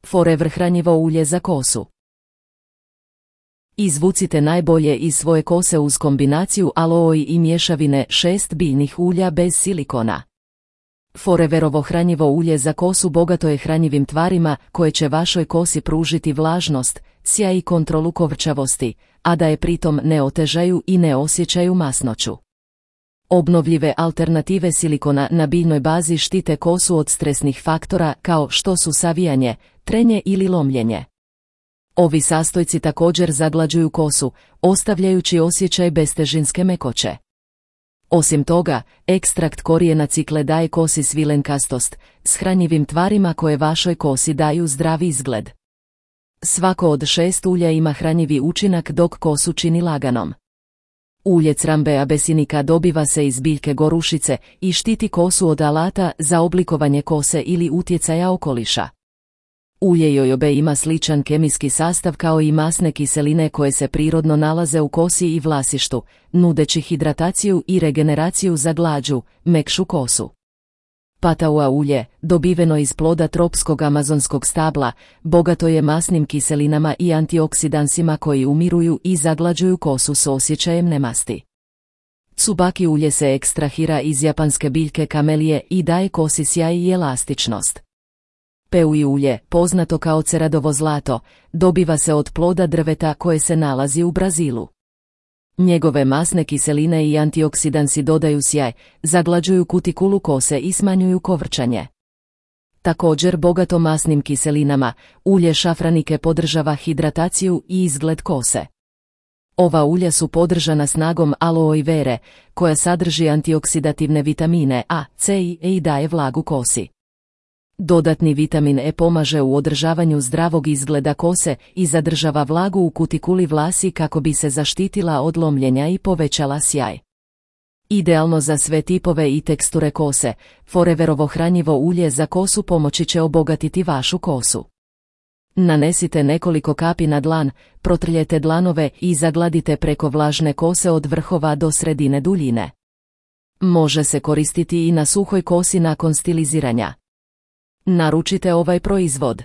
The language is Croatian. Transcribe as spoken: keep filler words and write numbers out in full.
Forever hranjivo ulje za kosu. Izvucite najbolje iz svoje kose uz kombinaciju aloe i mješavine šest biljnih ulja bez silikona. Foreverovo hranjivo ulje za kosu bogato je hranjivim tvarima koje će vašoj kosi pružiti vlažnost, sjaj i kontrolu kovrčavosti, a da je pritom ne otežaju i ne osjećaju masnoću. Obnovljive alternative silikona na biljnoj bazi štite kosu od stresnih faktora kao što su savijanje, trenje ili lomljenje. Ovi sastojci također zaglađuju kosu, ostavljajući osjećaj bestežinske mekoće. Osim toga, ekstrakt korijena cikle daje kosi svilenkastost, s hranjivim tvarima koje vašoj kosi daju zdravi izgled. Svako od šest ulja ima hranjivi učinak dok kosu čini laganom. Ulje crambe abesinika dobiva se iz biljke gorušice i štiti kosu od alata za oblikovanje kose ili utjecaja okoliša. Ulje jojobe ima sličan kemijski sastav kao i masne kiseline koje se prirodno nalaze u kosi i vlasištu, nudeći hidrataciju i regeneraciju za glađu, mekšu kosu. Pataua ulje, dobiveno iz ploda tropskog amazonskog stabla, bogato je masnim kiselinama i antioksidansima koji umiruju i zaglađuju kosu s osjećajem nemasti. Tsubaki ulje se ekstrahira iz japanske biljke kamelije i daje kosi sjaj i elastičnost. Peui ulje, poznato kao ceradovo zlato, dobiva se od ploda drveta koje se nalazi u Brazilu. Njegove masne kiseline i antioksidansi dodaju sjaj, zaglađuju kutikulu kose i smanjuju kovrčanje. Također bogato masnim kiselinama, ulje šafranike podržava hidrataciju i izgled kose. Ova ulja su podržana snagom aloe vere, koja sadrži antioksidativne vitamine A, C i E i daje vlagu kosi. Dodatni vitamin E pomaže u održavanju zdravog izgleda kose i zadržava vlagu u kutikuli vlasi kako bi se zaštitila od lomljenja i povećala sjaj. Idealno za sve tipove i teksture kose, Foreverovo hranjivo ulje za kosu pomoći će obogatiti vašu kosu. Nanesite nekoliko kapi na dlan, protrljete dlanove i zagladite preko vlažne kose od vrhova do sredine duljine. Može se koristiti i na suhoj kosi nakon stiliziranja. Naručite ovaj proizvod.